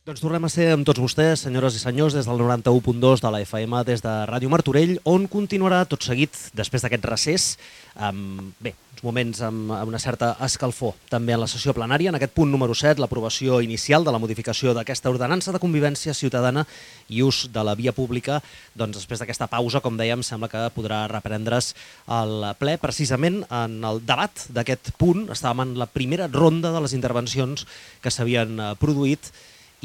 Doncs tornem a ser amb tots vostès, senyores i senyors, des del 91.2 de la FM, des de Ràdio Martorell, on continuarà tot seguit, després d'aquest recés, uns moments amb una certa escalfor. També en la sessió plenària, en aquest punt número 7, l'aprovació inicial de la modificació d'aquesta ordenança de convivència ciutadana i ús de la via pública. Doncs després d'aquesta pausa, com dèiem, sembla que podrà reprendre's el ple. Precisament en el debat d'aquest punt estàvem en la primera ronda de les intervencions que s'havien produït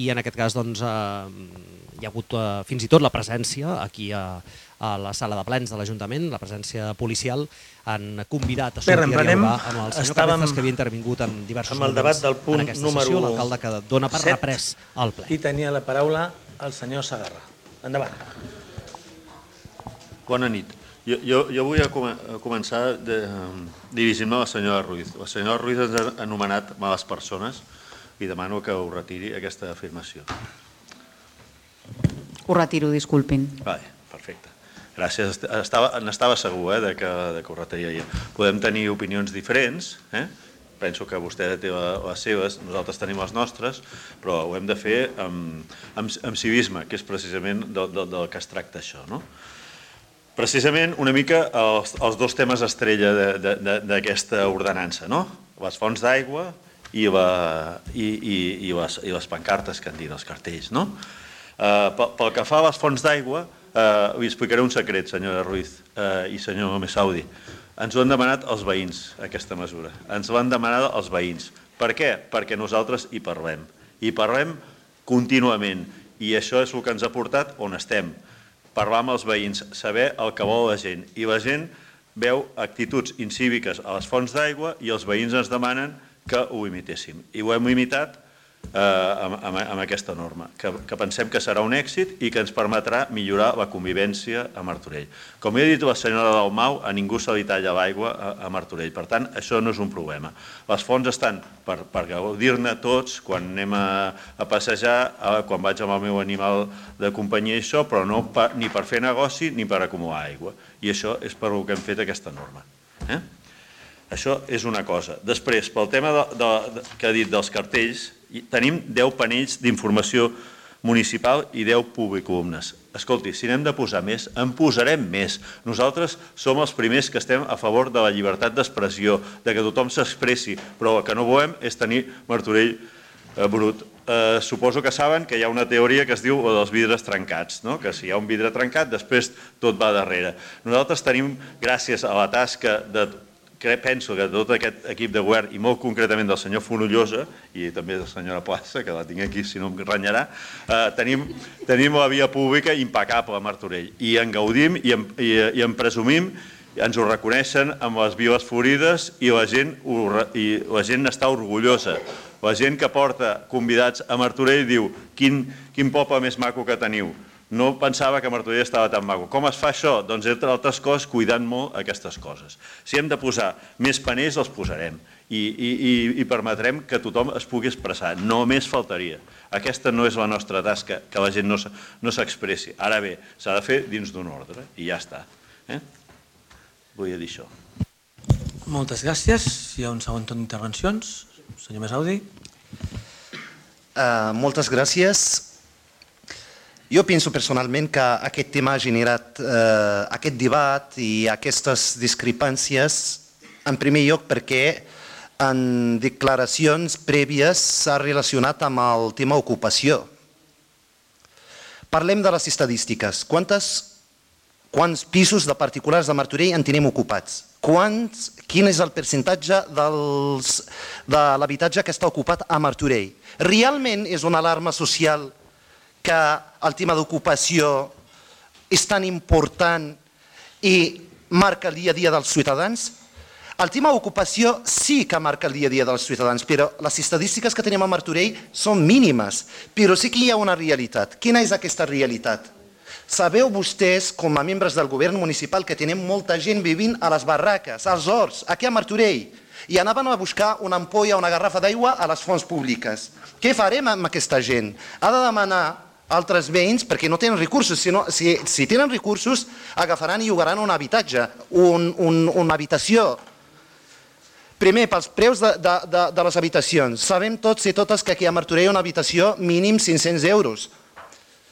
i en aquest cas doncs, hi ha hagut fins i tot la presència aquí a la sala de plens de l'Ajuntament, la presència policial. Han convidat a sortir a dialogar amb el senyor Cabezas, que havia intervingut en diversos moments en aquesta sessió, l'alcalde que dona per reprès el ple. I tenia la paraula el senyor Segarra. Endavant. Bona nit. Jo vull començar dirigint-me a la senyora Ruiz. La senyora Ruiz ens ha anomenat males persones i demano que ho retiri, aquesta afirmació. Ho retiro, disculpin. Vale, perfecte. Gràcies. N'estava segur que ho retiraria. Podem tenir opinions diferents, penso que vostè té les seves, nosaltres tenim les nostres, però ho hem de fer amb civisme, que és precisament del que es tracta això. Precisament una mica els dos temes estrella d'aquesta ordenança, les fonts d'aigua i les pancartes que en diuen els cartells. Pel que fa a les fonts d'aigua, li explicaré un secret, senyora Ruiz i senyor Messaudi. Ens ho han demanat els veïns, aquesta mesura. Ens l'han demanat els veïns. Per què? Perquè nosaltres hi parlem. Hi parlem contínuament i això és el que ens ha portat on estem. Parlar amb els veïns, saber el que vol la gent. I la gent veu actituds incíviques a les fonts d'aigua i els veïns ens demanen que ho imitéssim. I ho hem imitat amb aquesta norma, que pensem que serà un èxit i que ens permetrà millorar la convivència a Martorell. Com he dit la senyora Dalmau, a ningú se li talla l'aigua a Martorell. Per tant, això no és un problema. Les fonts estan per gaudir-ne tots quan anem a passejar, quan vaig amb el meu animal de companyia i això, però no ni per fer negoci ni per acumular aigua. I això és per el que hem fet aquesta norma. Això és una cosa. Després, pel tema que ha dit dels cartells, tenim 10 panells d'informació municipal i 10 publicolumnes. Escolti, si n'hem de posar més, en posarem més. Nosaltres som els primers que estem a favor de la llibertat d'expressió, de que tothom s'expressi, però el que no volem és tenir Martorell brut. Suposo que saben que hi ha una teoria que es diu dels vidres trencats, que si hi ha un vidre trencat, després tot va darrere. Nosaltres tenim, gràcies a la tasca que penso que tot aquest equip de govern, i molt concretament del senyor Fonollosa, i també de la senyora Plaça, que la tinc aquí si no em renyarà, tenim la via pública impecable a Martorell. I en gaudim i en presumim, ens ho reconeixen amb les viles florides i la gent n'està orgullosa. La gent que porta convidats a Martorell diu quin poble més maco que teniu. No pensava que Martorell estava tan maco. Com es fa això? Doncs, entre altres coses, cuidant molt aquestes coses. Si hem de posar més panells, els posarem i permetrem que tothom es pugui expressar. Només faltaria. Aquesta no és la nostra tasca, que la gent no s'expressi. Ara bé, s'ha de fer dins d'un ordre i ja està. Volia dir això. Moltes gràcies. Hi ha un segon torn d'intervencions. Senyor Messaudi. Moltes gràcies. Jo penso personalment que aquest tema ha generat aquest debat i aquestes discrepàncies, en primer lloc perquè en declaracions prèvies s'ha relacionat amb el tema ocupació. Parlem de les estadístiques. Quants pisos de particulars de Martorell en tenim ocupats? Quin és el percentatge de l'habitatge que està ocupat a Martorell? Realment és una alarma social que el tema d'ocupació és tan important i marca el dia a dia dels ciutadans? El tema d'ocupació sí que marca el dia a dia dels ciutadans, però les estadístiques que tenim a Martorell són mínimes, però sí que hi ha una realitat. Quina és aquesta realitat? Sabeu vostès, com a membres del govern municipal, que tenim molta gent vivint a les barraques, als horts, aquí a Martorell, i anaven a buscar una ampolla o una garrafa d'aigua a les fonts públiques. Què farem amb aquesta gent? Ha de demanar altres veïns perquè no tenen recursos. Si tenen recursos, agafaran i llogaran un habitatge, una habitació. Primer, pels preus de les habitacions. Sabem tots i totes que aquí a Martorell una habitació mínim 500 euros.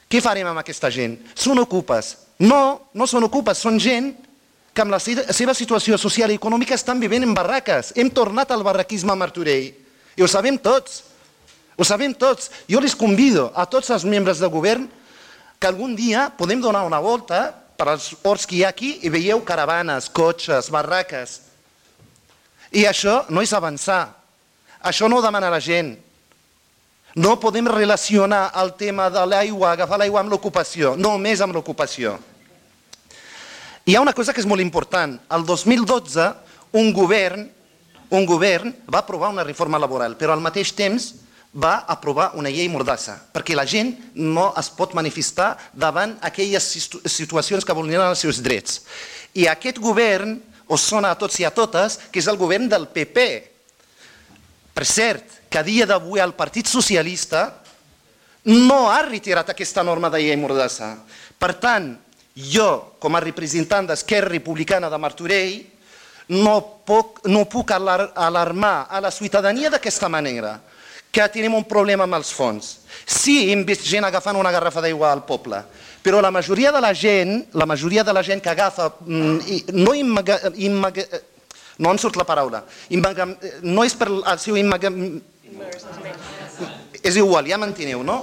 Què farem amb aquesta gent? Són ocupes. No, no són ocupes, són gent que amb la seva situació social i econòmica estan vivint en barraques. Hem tornat al barraquisme a Martorell. I ho sabem tots. Ho sabem tots. Jo les convido a tots els membres del govern que algun dia podem donar una volta per als horts que hi ha aquí i veieu caravanes, cotxes, barraques. I això no és avançar. Això no ho demana la gent. No podem relacionar el tema de l'aigua, agafar l'aigua amb l'ocupació, només amb l'ocupació. Hi ha una cosa que és molt important. El 2012 un govern va aprovar una reforma laboral, però al mateix temps va aprovar una llei mordassa, perquè la gent no es pot manifestar davant aquelles situacions que vulneren els seus drets. I aquest govern us sona a tots i a totes que és el govern del PP. Per cert, que a dia d'avui el Partit Socialista no ha retirat aquesta norma de llei mordassa. Per tant, jo, com a representant d'Esquerra Republicana de Martorell, no puc alarmar a la ciutadania d'aquesta manera, que tenim un problema amb els fons. Sí, hem vist gent agafant una garrafa d'aigua al poble, però la majoria de la gent que agafa, no em surt la paraula, no és per el seu és igual, ja m'enteneu, no?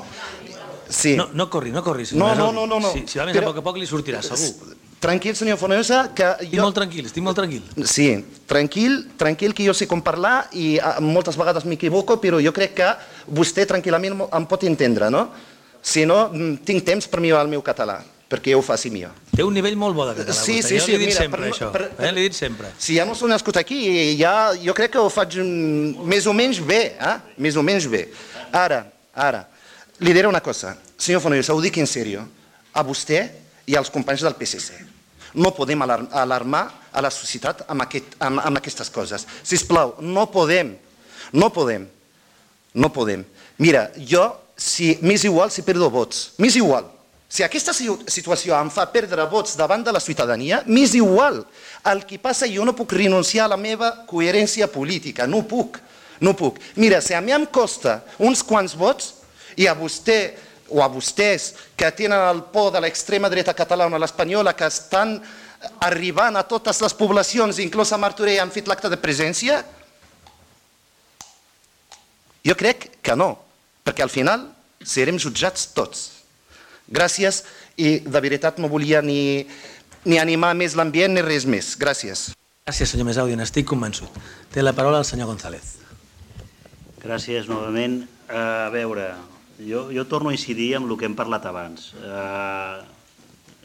No corri. No. Si va més a poc li sortirà, segur. Tranquil, senyor Fonollosa, que jo... Estic molt tranquil. Sí, tranquil, que jo sé com parlar i moltes vegades m'equivoco, però jo crec que vostè tranquil·lament em pot entendre, no? Si no, tinc temps per millorar el meu català, perquè ho faci millor. Té un nivell molt bo de català. Sí, jo li he dit mira, sempre, això. L'he dit sempre. Si ja no s'ho nascut aquí, jo crec que ho faig més o menys bé, més o menys bé. Ara, li diré una cosa. Senyor Fonollosa, ho dic en sèrio. A vostè i als companys del PSC. No podem alarmar a la societat amb aquestes coses. Sisplau, no podem. Mira, jo, m'és igual si perdo vots. M'és igual. Si aquesta situació em fa perdre vots davant de la ciutadania, m'és igual. El que passa, jo no puc renunciar a la meva coherència política. No puc. Mira, si a mi em costa uns quants vots i a vostè o a vostès que tenen el por de l'extrema dreta catalana o l'espanyola que estan arribant a totes les poblacions, inclús a Martorell, han fet l'acte de presència? Jo crec que no, perquè al final serem jutjats tots. Gràcies, i de veritat no volia ni animar més l'ambient ni res més. Gràcies. Gràcies, senyor Mesaudi, n'estic convençut. Té la paraula el senyor González. Gràcies, novament. A veure... Jo torno a incidir en el que hem parlat abans.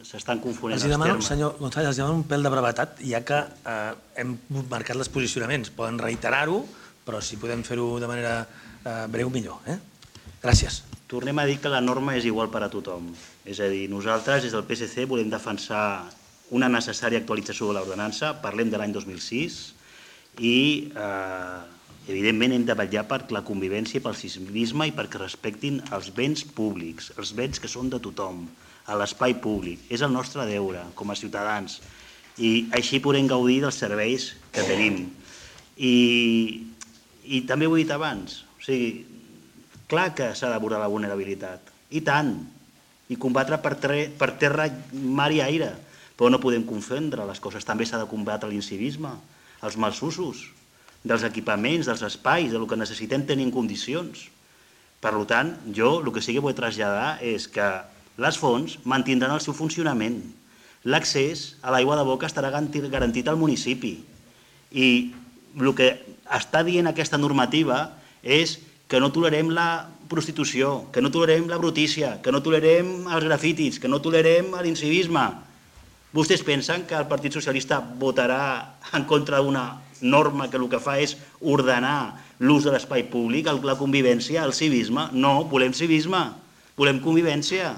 S'estan confonent els termes. Senyor González, els demano un pèl de brevetat, ja que hem marcat els posicionaments. Poden reiterar-ho, però si podem fer-ho de manera breu, millor. Gràcies. Tornem a dir que la norma és igual per a tothom. És a dir, nosaltres des del PSC volem defensar una necessària actualització de l'ordenança, parlem de l'any 2006, i evidentment hem de vetllar per la convivència i pel civisme i perquè respectin els béns públics, els béns que són de tothom, a l'espai públic. És el nostre deure com a ciutadans i així podem gaudir dels serveis que tenim. I també ho he dit abans, o sigui, clar que s'ha d'abordar la vulnerabilitat, i tant, i combatre per terra, mar i aire, però no podem confondre les coses. També s'ha de combatre l'incivisme, els malsusos dels equipaments, dels espais, del que necessitem tenir en condicions. Per tant, jo el que sí que vull traslladar és que les fonts mantindran el seu funcionament. L'accés a l'aigua de boca estarà garantit al municipi. I el que està dient aquesta normativa és que no tolerem la prostitució, que no tolerem la brutícia, que no tolerem els grafitis, que no tolerem l'incivisme. Vostès pensen que el Partit Socialista votarà en contra d'una norma que el que fa és ordenar l'ús de l'espai públic, la convivència, el civisme? No, volem civisme, volem convivència,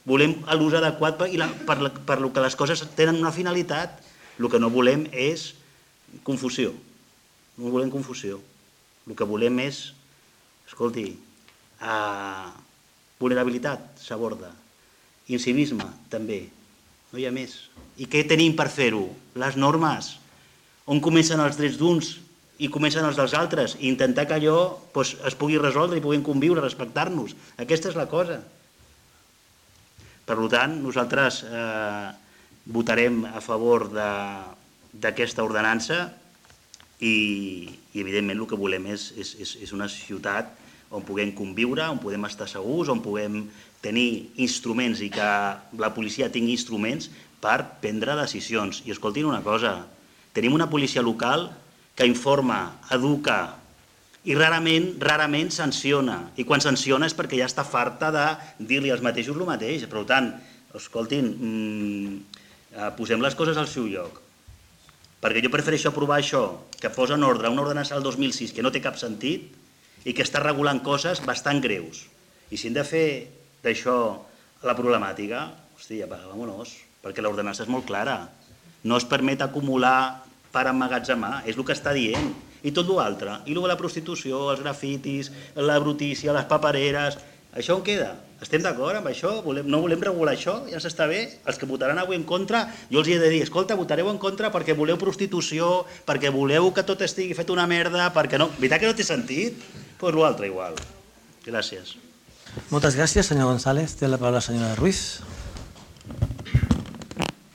volem l'ús adequat per lo que les coses tenen una finalitat. El que no volem és confusió, no volem confusió. El que volem és, escolti, vulnerabilitat s'aborda, incivisme també, no hi ha més. I què tenim per fer-ho? Les normes. On comencen els drets d'uns i comencen els dels altres, i intentar que allò es pugui resoldre i puguin conviure, respectar-nos. Aquesta és la cosa. Per tant, nosaltres votarem a favor d'aquesta ordenança i evidentment el que volem és una ciutat on puguem conviure, on podem estar segurs, on puguem tenir instruments i que la policia tingui instruments per prendre decisions. I escoltin una cosa, tenim una policia local que informa, educa i rarament sanciona. I quan sanciona és perquè ja està farta de dir-li als mateixos el mateix. Per tant, escoltin, posem les coses al seu lloc. Perquè jo prefereixo aprovar això, que posa en ordre una ordenança del 2006 que no té cap sentit i que està regulant coses bastant greus. I si hem de fer d'això la problemàtica, hòstia, vámonos, perquè l'ordenança és molt clara. No es permet acumular per emmagatzemar, és el que està dient. I tot l'altre, i la prostitució, els grafitis, la brutícia, les papereres, això on queda? Estem d'acord amb això? No volem regular això? Ja s'està bé? Els que votaran avui en contra, jo els he de dir, escolta, votareu en contra perquè voleu prostitució, perquè voleu que tot estigui fet una merda, perquè no... Veritat que no té sentit? Doncs l'altre igual. Gràcies. Moltes gràcies, senyor González. Té la paraula la senyora Ruiz.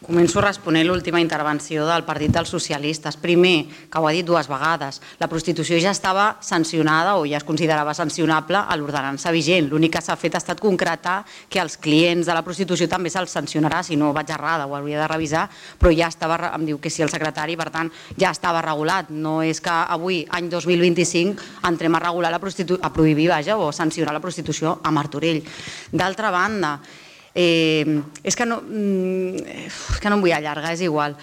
Començo responent l'última intervenció del Partit dels Socialistes. Primer, que ho ha dit dues vegades, la prostitució ja estava sancionada o ja es considerava sancionable a l'ordenança vigent. L'únic que s'ha fet ha estat concretar que els clients de la prostitució també se'ls sancionarà, si no vaig errada, ho hauria de revisar, però ja estava, em diu que sí el secretari, per tant, ja estava regulat. No és que avui, any 2025, entrem a regular a prohibir, o a sancionar la prostitució a Martorell. D'altra banda, és que no em vull allargar, és igual.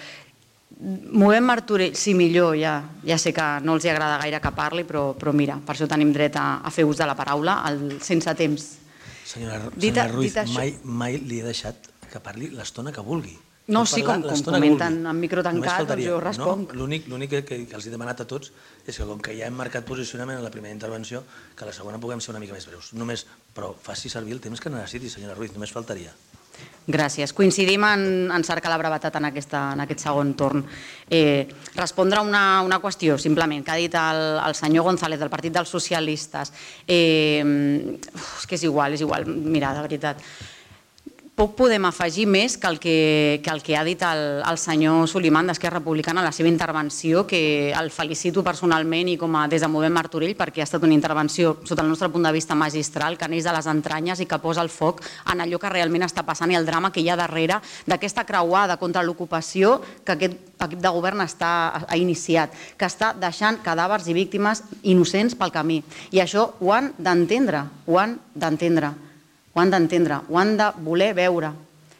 Movem Martorell, sí, millor, ja sé que no els agrada gaire que parli, però mira, per això tenim dret a fer ús de la paraula sense temps. Senyora Ruiz, mai li he deixat que parli l'estona que vulgui. No, sí, com comenten en micro tancat, doncs jo responc. L'únic que els he demanat a tots és que com que ja hem marcat posicionament en la primera intervenció, que a la segona puguem ser una mica més breus. Però faci servir el temps que necessiti, senyora Ruiz, només faltaria. Gràcies. Coincidim en cercar la brevetat en aquest segon torn. Respondre a una qüestió, simplement, que ha dit el senyor González del Partit dels Socialistes. És que és igual. Mira, de veritat. Poc podem afegir més que el que ha dit el senyor Soliman d'Esquerra Republicana en la seva intervenció, que el felicito personalment i des de Movem Martorell perquè ha estat una intervenció, sota el nostre punt de vista, magistral, que neix de les entranyes i que posa el foc en allò que realment està passant i el drama que hi ha darrere d'aquesta creuada contra l'ocupació que aquest equip de govern ha iniciat, que està deixant cadàvers i víctimes innocents pel camí. I això ho han d'entendre, ho han de voler veure.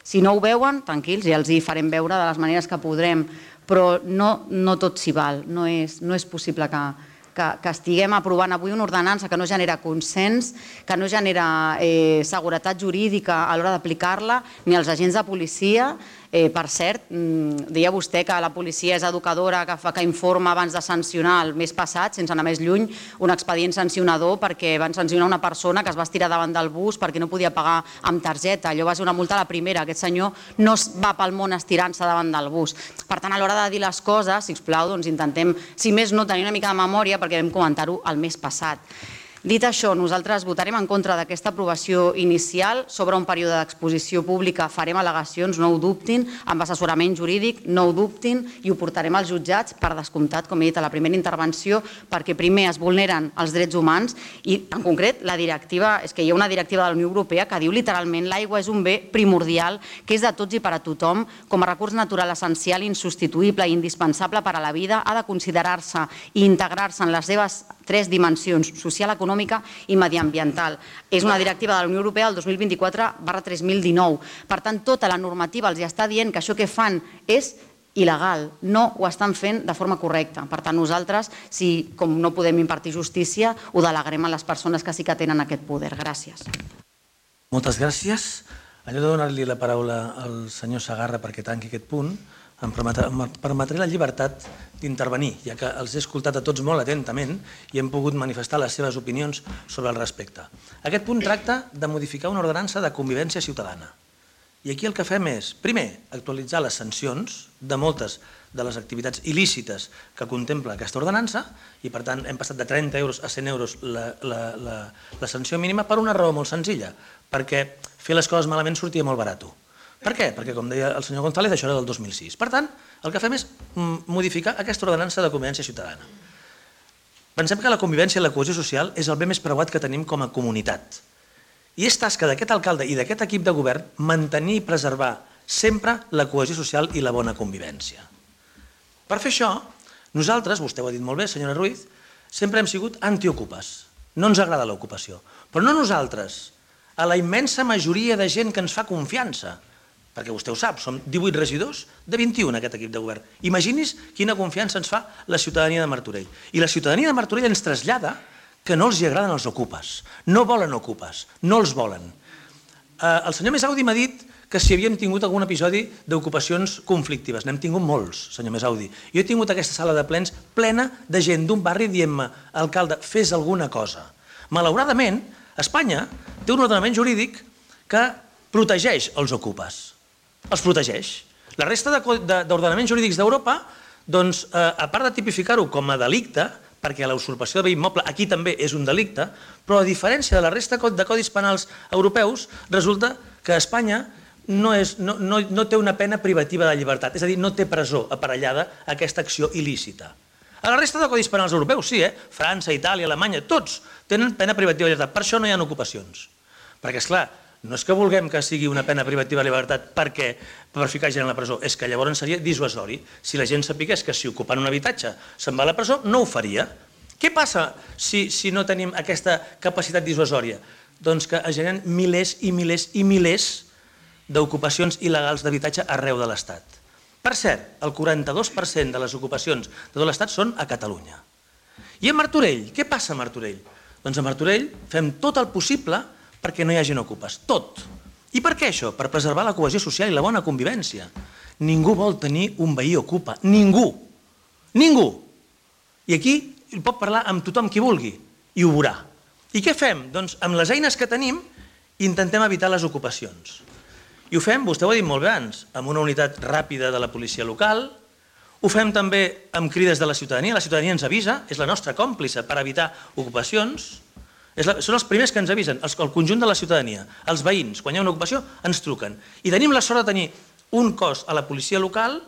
Si no ho veuen, tranquils, ja els hi farem veure de les maneres que podrem, però no tot s'hi val. No és possible que estiguem aprovant avui una ordenança que no genera consens, que no genera seguretat jurídica a l'hora d'aplicar-la, ni als agents de policia. Per cert, deia vostè que la policia és educadora, que informa abans de sancionar el mes passat, sense anar més lluny, un expedient sancionador perquè van sancionar una persona que es va estirar davant del bus perquè no podia pagar amb targeta. Allò va ser una multa a la primera. Aquest senyor no va pel món estirant-se davant del bus. Per tant, a l'hora de dir les coses, sisplau, doncs intentem, si més no, tenir una mica de memòria perquè vam comentar-ho el mes passat. Dit això, nosaltres votarem en contra d'aquesta aprovació inicial. Sobre un període d'exposició pública farem al·legacions, no ho dubtin, amb assessorament jurídic, no ho dubtin, i ho portarem als jutjats, per descomptat, com he dit a la primera intervenció, perquè primer es vulneren els drets humans i, en concret, la directiva, és que hi ha una directiva de la Unió Europea que diu literalment l'aigua és un bé primordial que és de tots i per a tothom, com a recurs natural essencial, insubstituïble i indispensable per a la vida, ha de considerar-se i integrar-se en les seves tres dimensions, social, econòmica i mediambiental. És una directiva de la Unió Europea del 2024/3019. Per tant, tota la normativa els està dient que això que fan és il·legal, no ho estan fent de forma correcta. Per tant, nosaltres, si com no podem impartir justícia, ho delegarem a les persones que sí que tenen aquest poder. Gràcies. Moltes gràcies. Allò de donar-li la paraula al senyor Segarra perquè tanqui aquest punt, em permetré la llibertat d'intervenir, ja que els he escoltat a tots molt atentament i hem pogut manifestar les seves opinions sobre el respecte. Aquest punt tracta de modificar una ordenança de convivència ciutadana. I aquí el que fem és, primer, actualitzar les sancions de moltes de les activitats il·lícites que contempla aquesta ordenança i, per tant, hem passat de 30 euros a 100 euros la sanció mínima per una raó molt senzilla, perquè fer les coses malament sortia molt barat. Per què? Perquè, com deia el senyor González, això era del 2006. Per tant, el que fem és modificar aquesta ordenança de convivència ciutadana. Pensem que la convivència i la cohesió social és el bé més preuat que tenim com a comunitat. I és tasca d'aquest alcalde i d'aquest equip de govern mantenir i preservar sempre la cohesió social i la bona convivència. Per fer això, nosaltres, vostè ho ha dit molt bé, senyora Ruiz, sempre hem sigut antiocupes. No ens agrada l'ocupació. Però no nosaltres, a la immensa majoria de gent que ens fa confiança, perquè vostè ho sap, som 18 regidors de 21 aquest equip de govern. Imagini's quina confiança ens fa la ciutadania de Martorell. I la ciutadania de Martorell ens trasllada que no els agraden els ocupes. No volen ocupes, no els volen. El senyor Mesaudi m'ha dit que si havíem tingut algun episodi d'ocupacions conflictives. N'hem tingut molts, senyor Mesaudi. Jo he tingut aquesta sala de plens plena de gent d'un barri dient-me, alcalde, fes alguna cosa. Malauradament, Espanya té un ordenament jurídic que protegeix els ocupes. Els protegeix. La resta d'ordenaments jurídics d'Europa, doncs, a part de tipificar-ho com a delicte, perquè la usurpació de bé immoble aquí també és un delicte, però a diferència de la resta de codis penals europeus, resulta que Espanya no té una pena privativa de llibertat, és a dir, no té presó aparellada a aquesta acció il·lícita. A la resta de codis penals europeus sí, França, Itàlia, Alemanya, tots tenen pena privativa de llibertat, per això no hi ha ocupacions. Perquè, esclar, no és que vulguem que sigui una pena privativa de llibertat per ficar gent a la presó, és que llavors seria dissuasori. Si la gent sapigués que si ocupant un habitatge se'n va a la presó, no ho faria. Què passa si no tenim aquesta capacitat dissuasòria? Doncs que es generen milers i milers i milers d'ocupacions il·legals d'habitatge arreu de l'Estat. Per cert, el 42% de les ocupacions de tot l'Estat són a Catalunya. I a Martorell, què passa a Martorell? Doncs a Martorell fem tot el possible perquè no hi hagi ocupes, tot. I per què això? Per preservar la cohesió social i la bona convivència. Ningú vol tenir un veí ocupa, ningú. Ningú. I aquí pot parlar amb tothom qui vulgui i ho veurà. I què fem? Doncs amb les eines que tenim intentem evitar les ocupacions. I ho fem, vostè ho ha dit molt bé abans, amb una unitat ràpida de la policia local, ho fem també amb crides de la ciutadania ens avisa, és la nostra còmplice per evitar ocupacions, són els primers que ens avisen, el conjunt de la ciutadania, els veïns, quan hi ha una ocupació ens truquen. I tenim la sort de tenir un cos a la policia local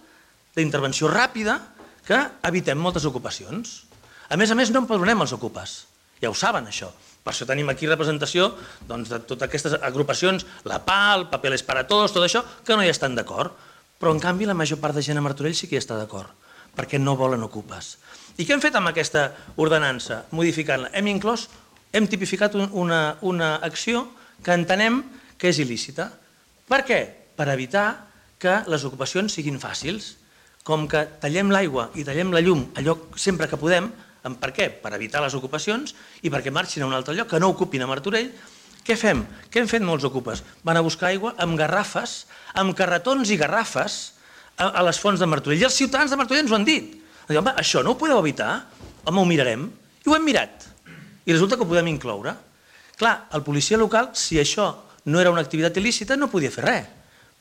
d'intervenció ràpida que evitem moltes ocupacions. A més, no empadronem els ocupes, ja ho saben això. Per això tenim aquí representació de totes aquestes agrupacions, la PAL, Papeles para Todos, tot això, que no hi estan d'acord. Però, en canvi, la major part de gent a Martorell sí que hi està d'acord, perquè no volen ocupes. I què hem fet amb aquesta ordenança, modificant-la? Hem tipificat una acció que entenem que és il·lícita. Per què? Per evitar que les ocupacions siguin fàcils. Com que tallem l'aigua i tallem la llum allò sempre que podem, per què? Per evitar les ocupacions i perquè marxin a un altre lloc, que no ocupin a Martorell. Què fem? Què han fet molts ocupes? Van a buscar aigua amb garrafes, amb carretons i garrafes a les fonts de Martorell. I els ciutadans de Martorell ens ho han dit. Home, això no ho podeu evitar? Home, ho mirarem. I ho hem mirat. I resulta que ho podem incloure. Clar, el policia local, si això no era una activitat il·lícita, no podia fer res.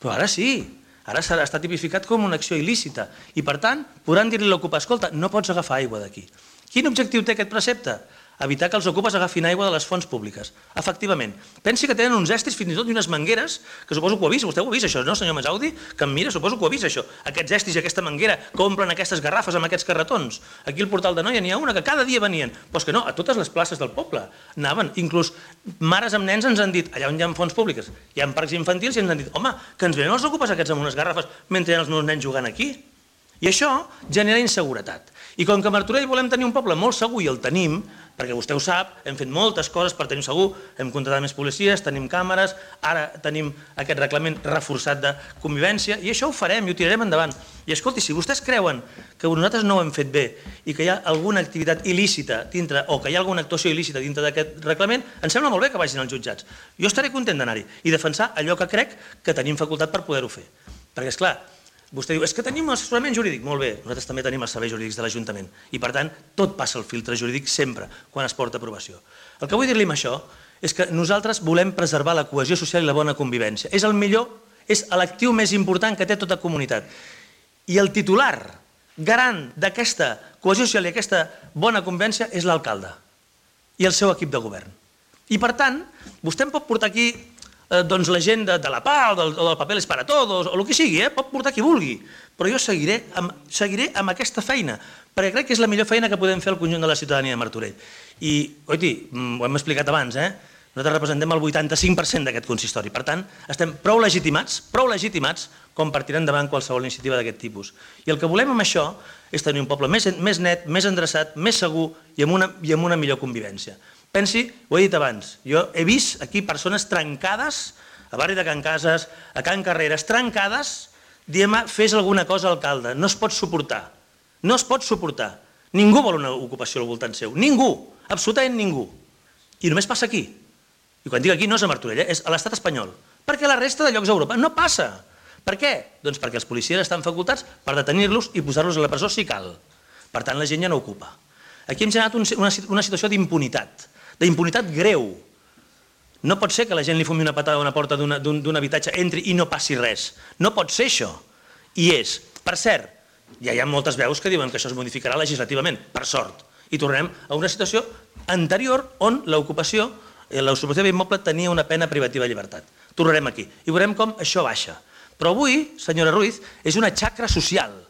Però ara sí. Ara està tipificat com una acció il·lícita. I, per tant, podran dir-li a l'ocupa, escolta, no pots agafar aigua d'aquí. Quin objectiu té aquest precepte? Evitar que els ocupes agafin aigua de les fonts públiques. Efectivament. Pensi que tenen uns estris, fins i tot, i unes mangueres, que suposo que ho ha vist. Vostè ho ha vist, això, no, senyor Mesaudi? Que em mira, suposo que ho ha vist, això. Aquests estris i aquesta manguera que omplen aquestes garrafes amb aquests carretons. Aquí al Portal de Noia n'hi ha una que cada dia venien. Però és que no, a totes les places del poble anaven. Inclús mares amb nens ens han dit, allà on hi ha fonts públiques, hi ha parcs infantils i ens han dit, home, que ens venen els ocupes aquests amb unes garrafes mentre hi ha els meus nens jugant aquí. I això genera inseguretat. I com que a Martorell volem tenir un poble molt segur i el tenim, perquè vostè ho sap, hem fet moltes coses per tenir segur, hem contratat més policies, tenim càmeres, ara tenim aquest reglament reforçat de convivència i això ho farem i ho tirarem endavant. I escolti, si vostès creuen que nosaltres no ho hem fet bé i que hi ha alguna activitat il·lícita dintre o que hi ha alguna actuació il·lícita dintre d'aquest reglament, em sembla molt bé que vagin als jutjats. Jo estaré content d'anar-hi i defensar allò que crec que tenim facultat per poder-ho fer. Perquè, esclar, vostè diu, és que tenim assessorament jurídic. Molt bé, nosaltres també tenim els serveis jurídics de l'Ajuntament i, per tant, tot passa el filtre jurídic sempre quan es porta a aprovació. El que vull dir-li amb això és que nosaltres volem preservar la cohesió social i la bona convivència. És el millor, és l'actiu més important que té tota comunitat. I el titular garant d'aquesta cohesió social i aquesta bona convivència és l'alcalde i el seu equip de govern. I per tant, vostè em pot portar aquí la gent de la PA o del Papeles para Todos o el que sigui, pot portar qui vulgui, però jo seguiré amb aquesta feina, perquè crec que és la millor feina que podem fer al conjunt de la ciutadania de Martorell. I, oiti, ho hem explicat abans, nosaltres representem el 85% d'aquest consistori, per tant, estem prou legitimats com per tirar endavant qualsevol iniciativa d'aquest tipus. I el que volem amb això és tenir un poble més net, més endreçat, més segur i amb una millor convivència. Pensi, ho he dit abans, jo he vist aquí persones trencades, a barri de Can Cases, a Can Carreres, trencades, dient-me, fes alguna cosa, alcalde, no es pot suportar. No es pot suportar. Ningú vol una ocupació al voltant seu. Ningú, absolutament ningú. I només passa aquí. I quan dic aquí no és a Martorell, és a l'estat espanyol. Perquè a la resta de llocs d'Europa no passa. Per què? Doncs perquè els policies estan facultats per detenir-los i posar-los a la presó si cal. Per tant, la gent ja no ocupa. Aquí hem generat una situació d'impunitat greu. No pot ser que la gent li fumi una patada a una porta d'un habitatge, entri i no passi res. No pot ser això. I és, per cert, ja hi ha moltes veus que diuen que això es modificarà legislativament, per sort. I tornarem a una situació anterior on l'ocupació d'immoble tenia una pena privativa de llibertat. Tornarem aquí i veurem com això baixa. Però avui, senyora Ruiz, és una xacra social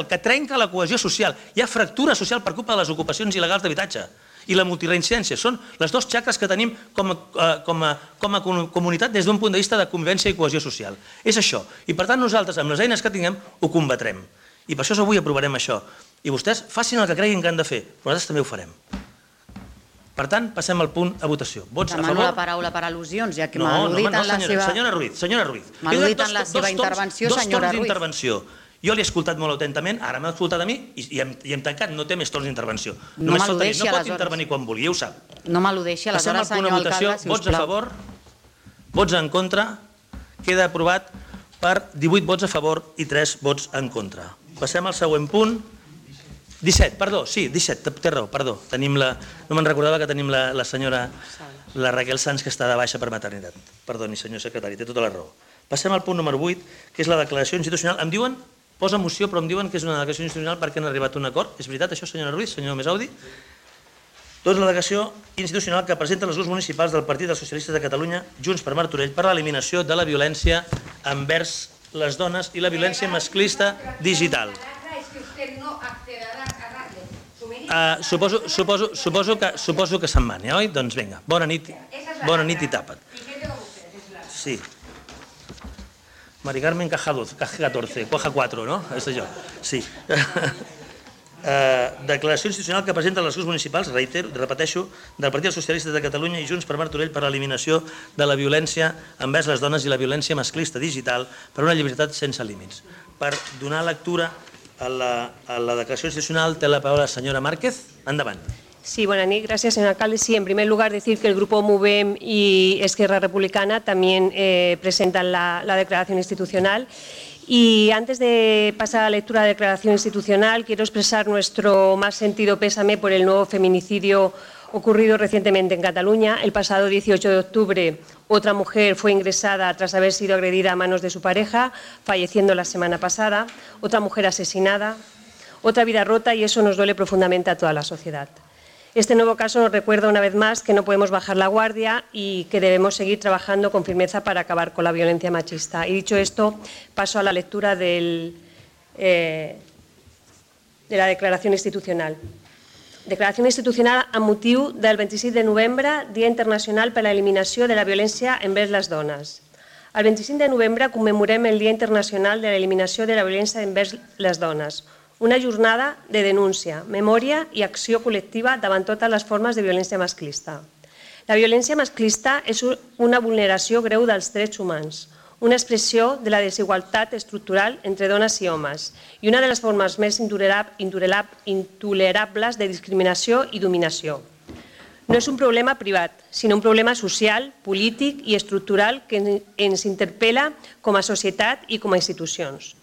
que trenca la cohesió social. Hi ha fractura social per culpa de les ocupacions il·legals d'habitatge i la multireincidència. Són les dues xacres que tenim com a comunitat des d'un punt de vista de convivència i cohesió social. És això. I per tant nosaltres, amb les eines que tinguem, ho combatrem. I per això avui aprovarem això. I vostès facin el que creguin que han de fer, però nosaltres també ho farem. Per tant, passem al punt a votació. Vots a favor? Demano la paraula per al·lusions, ja que m'ha al·ludit en la seva... Senyora Ruiz. M'ha al·ludit en la seva intervenció, senyora Ruiz. Dos torns d'intervenció. Jo l'he escoltat molt atentament, ara m'ha escoltat a mi i hem tancat, no té més torns d'intervenció. No m'al·ludeixi, aleshores. No pot intervenir quan vulgui, ja ho sap. No m'al·ludeixi, aleshores, senyor alcalde, si us plau. Vots a favor, vots en contra, queda aprovat per 18 vots a favor i 3 vots en contra. Passem al següent punt. 17, perdó, sí, 17, té raó, perdó. No me'n recordava que tenim la senyora Raquel Sanz, que està de baixa per maternitat. Perdoni, senyor secretari, té tota la raó. Passem al punt número 8, que és la declaració institucional. Em diuen, posa moció, però em diuen que és una declaració institucional perquè han arribat a un acord. És veritat això, senyora Ruiz, senyor Mesaudi? Doncs la declaració institucional que presenten els grups municipals del Partit dels Socialistes de Catalunya, Junts per Martorell, per l'eliminació de la violència envers les dones i la violència masclista digital. Suposo que se'n van, oi? Doncs vinga, bona nit i tapa't. Sí. Mari Carmen caja 14, cuaja 4, ¿no? Eso yo. Sí. Declaració institucional que presenten els grups municipals, repeteixo, del Partit dels Socialistes de Catalunya i Junts per Martorell per l'eliminació de la violència envers les dones i la violència masclista digital per una llibertat sense límits. Per donar lectura a la declaració institucional té la paraula la senyora Márquez. Endavant. Sí, buenas noches. Gracias, señor alcalde. Sí, en primer lugar decir que el Grupo MUVEM y Esquerra Republicana también presentan la declaración institucional. Y antes de pasar a la lectura de la declaración institucional, quiero expresar nuestro más sentido pésame por el nuevo feminicidio ocurrido recientemente en Cataluña. El pasado 18 de octubre, otra mujer fue ingresada tras haber sido agredida a manos de su pareja, falleciendo la semana pasada. Otra mujer asesinada, otra vida rota, y eso nos duele profundamente a toda la sociedad. Este nuevo caso nos recuerda una vez más que no podemos bajar la guardia y que debemos seguir trabajando con firmeza para acabar con la violencia machista. Y dicho esto, paso a la lectura de la declaración institucional. Declaració institucional amb motiu del 26 de novembre, Dia Internacional per a l'Eliminació de la Violència envers les Dones. El 25 de novembre commemorem el Dia Internacional de l'Eliminació de la Violència envers les Dones, una jornada de denúncia, memòria i acció col·lectiva davant totes les formes de violència masclista. La violència masclista és una vulneració greu dels drets humans, una expressió de la desigualtat estructural entre dones i homes i una de les formes més intolerables de discriminació i dominació. No és un problema privat, sinó un problema social, polític i estructural que ens interpel·la com a societat i com a institucions.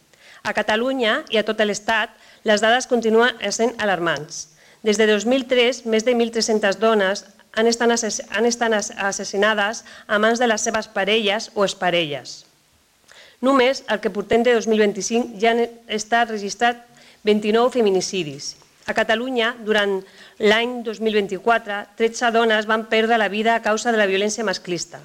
A Catalunya i a tot l'Estat, les dades continuen sent alarmants. Des de 2003, més de 1.300 dones han estat assassinades a mans de les seves parelles o exparelles. Només el que portem de 2025 ja han estat registrat 29 feminicidis. A Catalunya, durant l'any 2024, 13 dones van perdre la vida a causa de la violència masclista.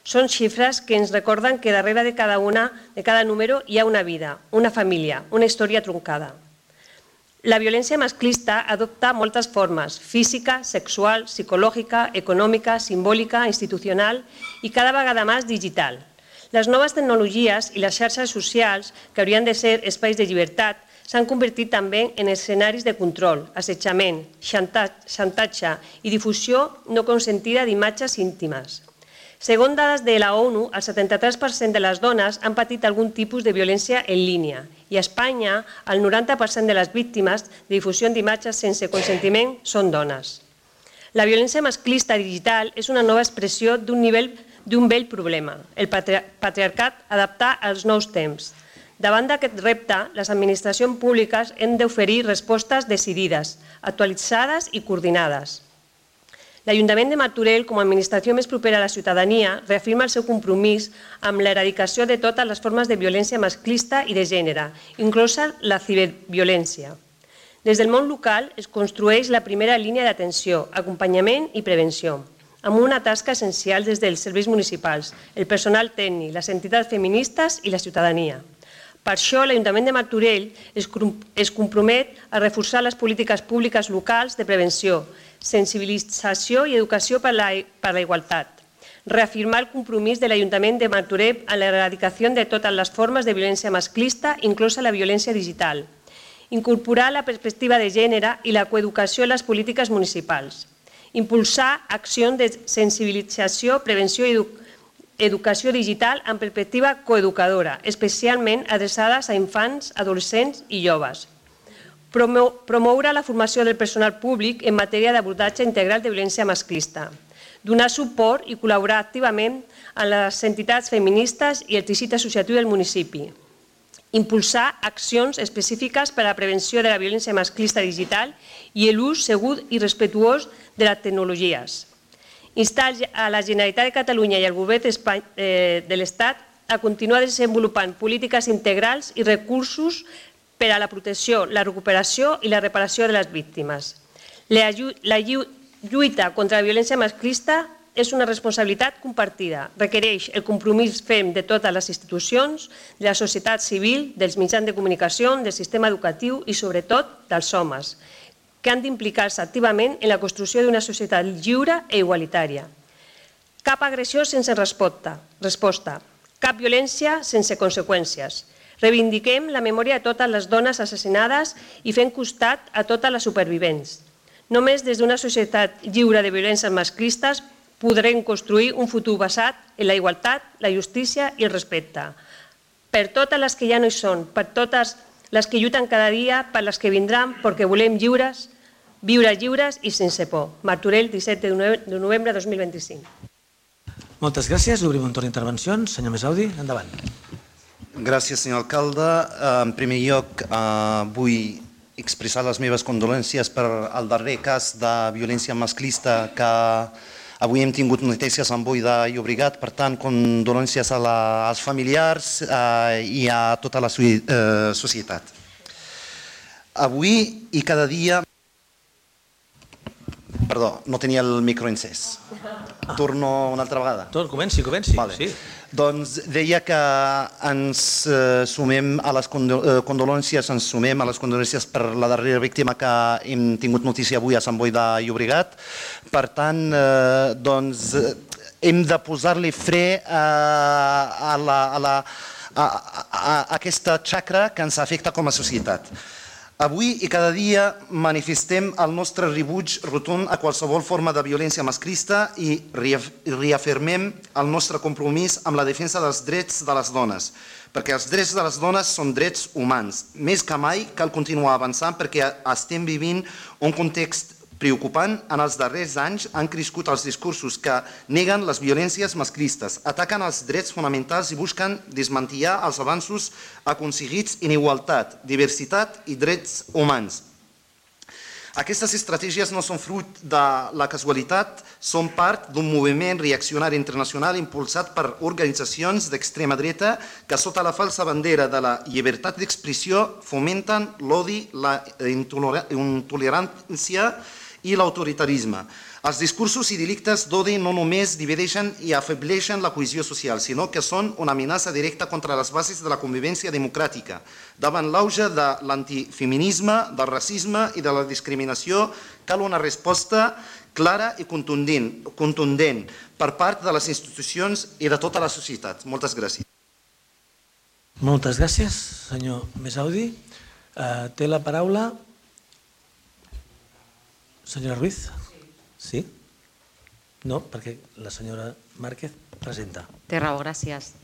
Són xifres que ens recorden que darrere de cada número hi ha una vida, una família, una història truncada. La violència masclista adopta moltes formes, física, sexual, psicològica, econòmica, simbòlica, institucional i cada vegada més digital. Les noves tecnologies i les xarxes socials, que haurien de ser espais de llibertat, s'han convertit també en escenaris de control, assetjament, xantatge i difusió no consentida d'imatges íntimes. Segons dades de la ONU, el 73% de les dones han patit algun tipus de violència en línia i a Espanya el 90% de les víctimes de difusió d'imatges sense consentiment són dones. La violència masclista digital és una nova expressió d'un vell problema, el patriarcat adaptat als nous temps. Davant d'aquest repte, les administracions públiques han d'oferir respostes decidides, actualitzades i coordinades. L'Ajuntament de Martorell, com a administració més propera a la ciutadania, reafirma el seu compromís amb l'eradicació de totes les formes de violència masclista i de gènere, inclosa la ciberviolència. Des del món local es construeix la primera línia d'atenció, acompanyament i prevenció, amb una tasca essencial des dels serveis municipals, el personal tècnic, les entitats feministes i la ciutadania. Per això, l'Ajuntament de Martorell es compromet a reforçar les polítiques públiques locals de prevenció, sensibilització i educació per la igualtat. Reafirmar el compromís de l'Ajuntament de Martorell en l'eradicació de totes les formes de violència masclista, inclosa la violència digital. Incorporar la perspectiva de gènere i la coeducació en les polítiques municipals. Impulsar accions de sensibilització, prevenció i educació digital amb perspectiva coeducadora, especialment adreçades a infants, adolescents i joves. Promoure la formació del personal públic en matèria d'abordatge integral de violència masclista. Donar suport i col·laborar activament amb les entitats feministes i el teixit associatiu del municipi. Impulsar accions específiques per a la prevenció de la violència masclista digital i l'ús segur i respectuós de les tecnologies. Instar a la Generalitat de Catalunya i al Govern de l'Estat a continuar desenvolupant polítiques integrals i recursos per a la protecció, la recuperació i la reparació de les víctimes. La lluita contra la violència masclista és una responsabilitat compartida. Requereix el compromís ferm de totes les institucions, de la societat civil, dels mitjans de comunicació, del sistema educatiu i, sobretot, dels homes, que han d'implicar-se activament en la construcció d'una societat lliure i igualitària. Cap agressió sense resposta, cap violència sense conseqüències. Reivindiquem la memòria de totes les dones assassinades i fem costat a totes les supervivents. Només des d'una societat lliure de violències masclistes podrem construir un futur basat en la igualtat, la justícia i el respecte. Per totes les que ja no hi són, per totes les que lluiten cada dia, per les que vindran, perquè volem viure lliures i sense por. Martorell, 17 de novembre de 2025. Moltes gràcies. Obrim un torn d'intervencions. Senyor Mesaudi, endavant. Gràcies, senyor alcalde. En primer lloc, vull expressar les meves condolències per el darrer cas de violència masclista que avui hem tingut notícies en Boi de Llobregat. Per tant, condolències als familiars i a tota la societat. Avui i cada dia... Perdó, no tenia el micro encès. Torno una altra vegada. Comenci. Sí. Doncs deia que ens sumem a les condolències, per la darrera víctima que hem tingut notícia avui a Sant Boi de Llobregat. Per tant, doncs, hem de posar-li fre a aquesta xacra que ens afecta com a societat. Avui i cada dia manifestem el nostre rebuig rotund a qualsevol forma de violència masclista i reafirmem el nostre compromís amb la defensa dels drets de les dones, perquè els drets de les dones són drets humans. Més que mai cal continuar avançant perquè estem vivint un context preocupant. En els darrers anys han crescut els discursos que neguen les violències masclistes, ataquen els drets fonamentals i busquen desmantellar els avanços aconseguits en igualtat, diversitat i drets humans. Aquestes estratègies no són fruit de la casualitat, són part d'un moviment reaccionari internacional impulsat per organitzacions d'extrema dreta que sota la falsa bandera de la llibertat d'expressió fomenten l'odi, la intolerància i l'autoritarisme. Els discursos i delictes d'odi no només divideixen i afebleixen la cohesió social, sinó que són una amenaça directa contra les bases de la convivència democràtica. Davant l'auge de l'antifeminisme, del racisme i de la discriminació, cal una resposta clara i contundent per part de les institucions i de tota la societat. Moltes gràcies. Moltes gràcies, senyor Mesaudi. Té la paraula senyora Ruiz. Sí? No, perquè la senyora Márquez presenta. Té raó, gràcies.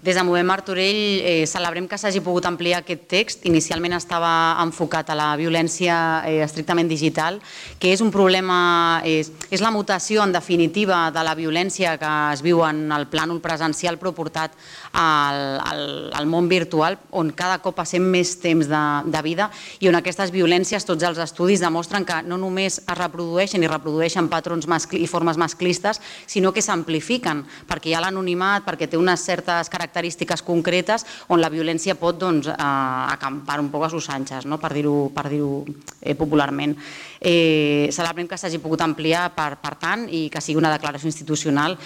Des de Movem Martorell celebrem que s'hagi pogut ampliar aquest text. Inicialment estava enfocat a la violència estrictament digital, que és un problema, és la mutació en definitiva de la violència que es viu en el plànol presencial però portat al món virtual, on cada cop passem més temps de vida i on aquestes violències, tots els estudis demostren que no només es reprodueixen i reprodueixen patrons i formes masclistes, sinó que s'amplifiquen, perquè hi ha l'anonimat, perquè té unes certes característiques concretes on la violència pot acampar un poc a sus anxes, per dir-ho popularment. Celebrem que s'hagi pogut ampliar per tant i que sigui una declaració institucional.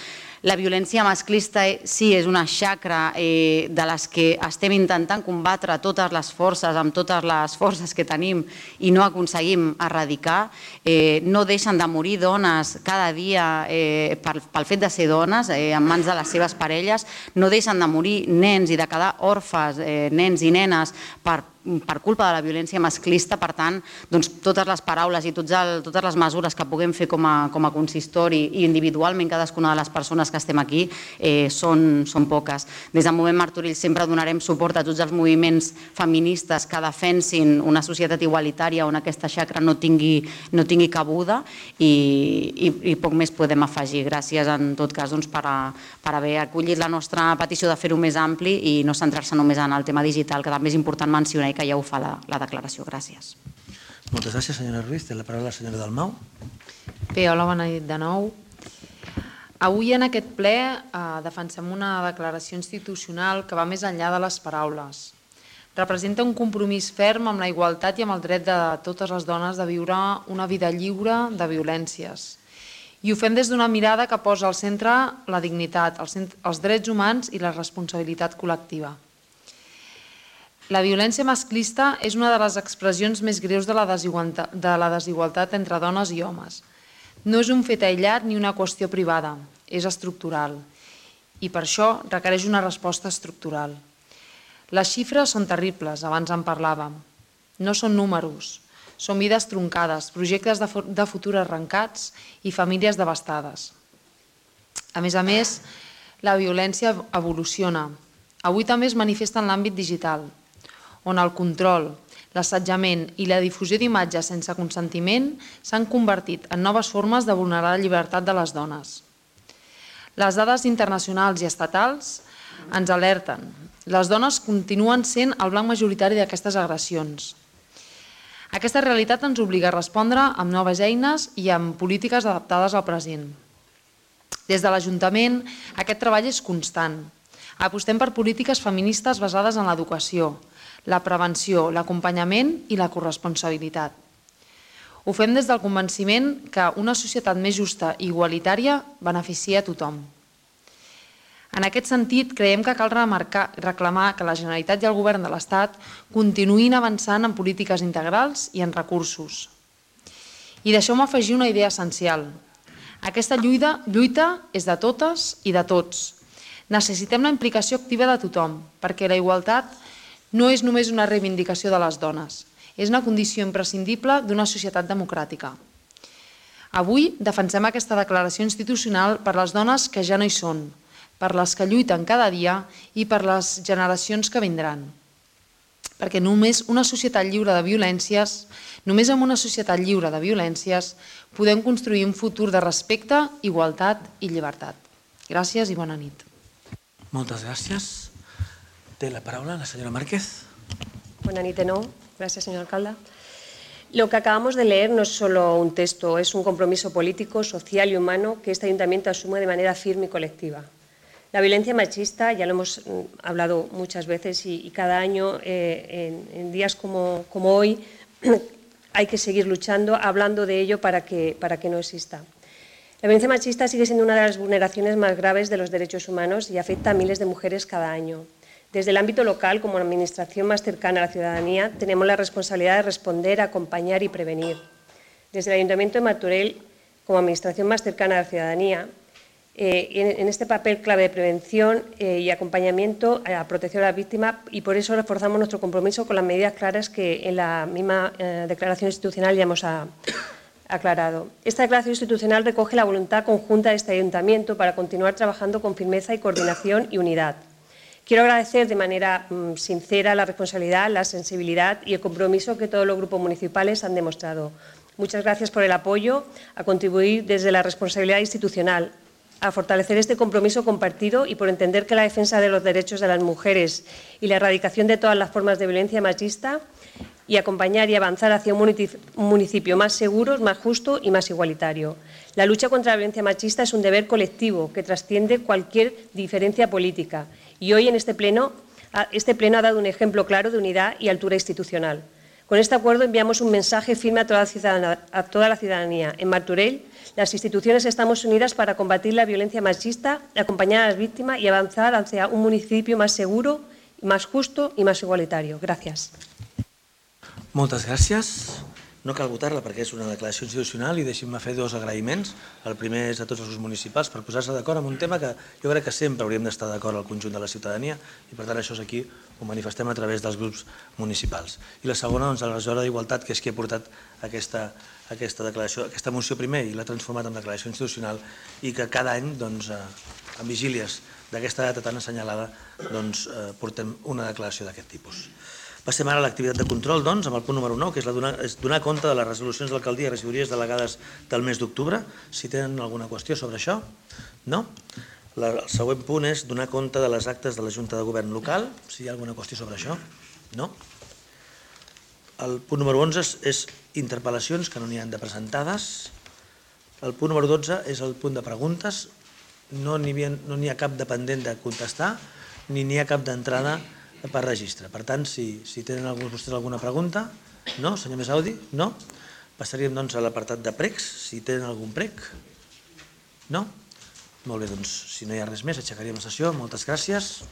La violència masclista sí és una xacra de les que estem intentant combatre totes les forces, amb totes les forces que tenim i no aconseguim erradicar. No deixen de morir dones cada dia pel fet de ser dones en mans de les seves parelles, no deixen de morir nens i de quedar orfes, nens i nenes per culpa de la violència masclista. Per tant, totes les paraules i totes les mesures que puguem fer com a consistori i individualment cadascuna de les persones que estem aquí són poques. Des de Movem Martorell sempre donarem suport a tots els moviments feministes que defensin una societat igualitària on aquesta xacra no tingui cabuda i poc més podem afegir. Gràcies en tot cas per haver acollit la nostra petició de fer-ho més ampli i no centrar-se només en el tema digital, que també és important mencionar i que ja ho fa la declaració. Gràcies. Moltes gràcies, senyora Ruiz. Té la paraula la senyora Dalmau. Bé, hola, bona nit de nou. Avui en aquest ple defensem una declaració institucional que va més enllà de les paraules. Representa un compromís ferm amb la igualtat i amb el dret de totes les dones de viure una vida lliure de violències. I ho fem des d'una mirada que posa al centre la dignitat, els drets humans i la responsabilitat col·lectiva. La violència masclista és una de les expressions més greus de la desigualtat entre dones i homes. No és un fet aïllat ni una qüestió privada, és estructural. I per això requereix una resposta estructural. Les xifres són terribles, abans en parlàvem. No són números, són vides troncades, projectes de futur arrencats i famílies devastades. A més, la violència evoluciona. Avui també es manifesta en l'àmbit digital, on el control, l'assetjament i la difusió d'imatges sense consentiment s'han convertit en noves formes de vulnerar la llibertat de les dones. Les dades internacionals i estatals ens alerten. Les dones continuen sent el blanc majoritari d'aquestes agressions. Aquesta realitat ens obliga a respondre amb noves eines i amb polítiques adaptades al present. Des de l'Ajuntament, aquest treball és constant. Apostem per polítiques feministes basades en l'educació, la prevenció, l'acompanyament i la corresponsabilitat. Ho fem des del convenciment que una societat més justa i igualitària beneficia a tothom. En aquest sentit, creiem que cal reclamar que la Generalitat i el Govern de l'Estat continuïn avançant en polítiques integrals i en recursos. I deixeu-me afegir una idea essencial. Aquesta lluita és de totes i de tots. Necessitem la implicació activa de tothom, perquè la igualtat no és només una reivindicació de les dones, és una condició imprescindible d'una societat democràtica. Avui defensem aquesta declaració institucional per les dones que ja no hi són, per les que lluiten cada dia i per les generacions que vindran. Perquè només amb una societat lliure de violències podem construir un futur de respecte, igualtat i llibertat. Gràcies i bona nit. Moltes gràcies. Té la paraula la senyora Márquez. Bona nit de nou. Gràcies, senyor alcalde. Lo que acabamos de leer no es solo un texto, es un compromiso político, social y humano que este ayuntamiento asume de manera firme y colectiva. La violencia machista, ya lo hemos hablado muchas veces y cada año en días como hoy hay que seguir luchando, hablando de ello para que no exista. La violencia machista sigue siendo una de las vulneraciones más graves de los derechos humanos y afecta a miles de mujeres cada año. Desde el ámbito local, como la administración más cercana a la ciudadanía, tenemos la responsabilidad de responder, acompañar y prevenir. Desde el Ayuntamiento de Martorell, como administración más cercana a la ciudadanía, en este papel clave de prevención y acompañamiento a la protección de la víctima, y por eso reforzamos nuestro compromiso con las medidas claras que en la misma declaración institucional ya hemos aclarado. Esta declaración institucional recoge la voluntad conjunta de este ayuntamiento para continuar trabajando con firmeza y coordinación y unidad. Quiero agradecer de manera sincera la responsabilidad, la sensibilidad y el compromiso que todos los grupos municipales han demostrado. Muchas gracias por el apoyo, a contribuir desde la responsabilidad institucional, a fortalecer este compromiso compartido y por entender que la defensa de los derechos de las mujeres y la erradicación de todas las formas de violencia machista y acompañar y avanzar hacia un municipio más seguro, más justo y más igualitario. La lucha contra la violencia machista es un deber colectivo que trasciende cualquier diferencia política y hoy en este pleno ha dado un ejemplo claro de unidad y altura institucional. Con este acuerdo enviamos un mensaje firme a toda la ciudadanía. En Martorell, las instituciones estamos unidas para combatir la violencia machista, acompañar a las víctimas y avanzar hacia un municipio más seguro, más justo i més igualitari. Gràcies. Moltes gràcies. No cal votar-la perquè és una declaració institucional i deixin-me fer dos agraïments. El primer és a tots els grups municipals per posar-se d'acord en un tema que jo crec que sempre hauríem d'estar d'acord al conjunt de la ciutadania i per tant això és aquí, ho manifestem a través dels grups municipals. I la segona, doncs, a la regidora d'Igualtat, que és qui ha portat aquesta moció primer i l'ha transformat en declaració institucional i que cada any, doncs, en vigílies d'aquesta data tan assenyalada, doncs, portem una declaració d'aquest tipus. Passem ara a l'activitat de control, doncs, amb el punt número 9, que és donar compte de les resolucions de l'alcaldia i regidories delegades del mes d'octubre. Si tenen alguna qüestió sobre això, no? El següent punt és donar compte de les actes de la Junta de Govern local. Si hi ha alguna qüestió sobre això, no? El punt número 11 és interpel·lacions, que no n'hi ha de presentades. El punt número 12 és el punt de preguntes. No n'hi ha cap de pendent de contestar, ni n'hi ha cap d'entrada per registre. Per tant, si tenen vostès alguna pregunta, no? Senyor Mesaudi, no? Passaríem doncs a l'apartat de pregs, si tenen algun prec. No? Molt bé, doncs, si no hi ha res més, aixecaríem la sessió. Moltes gràcies.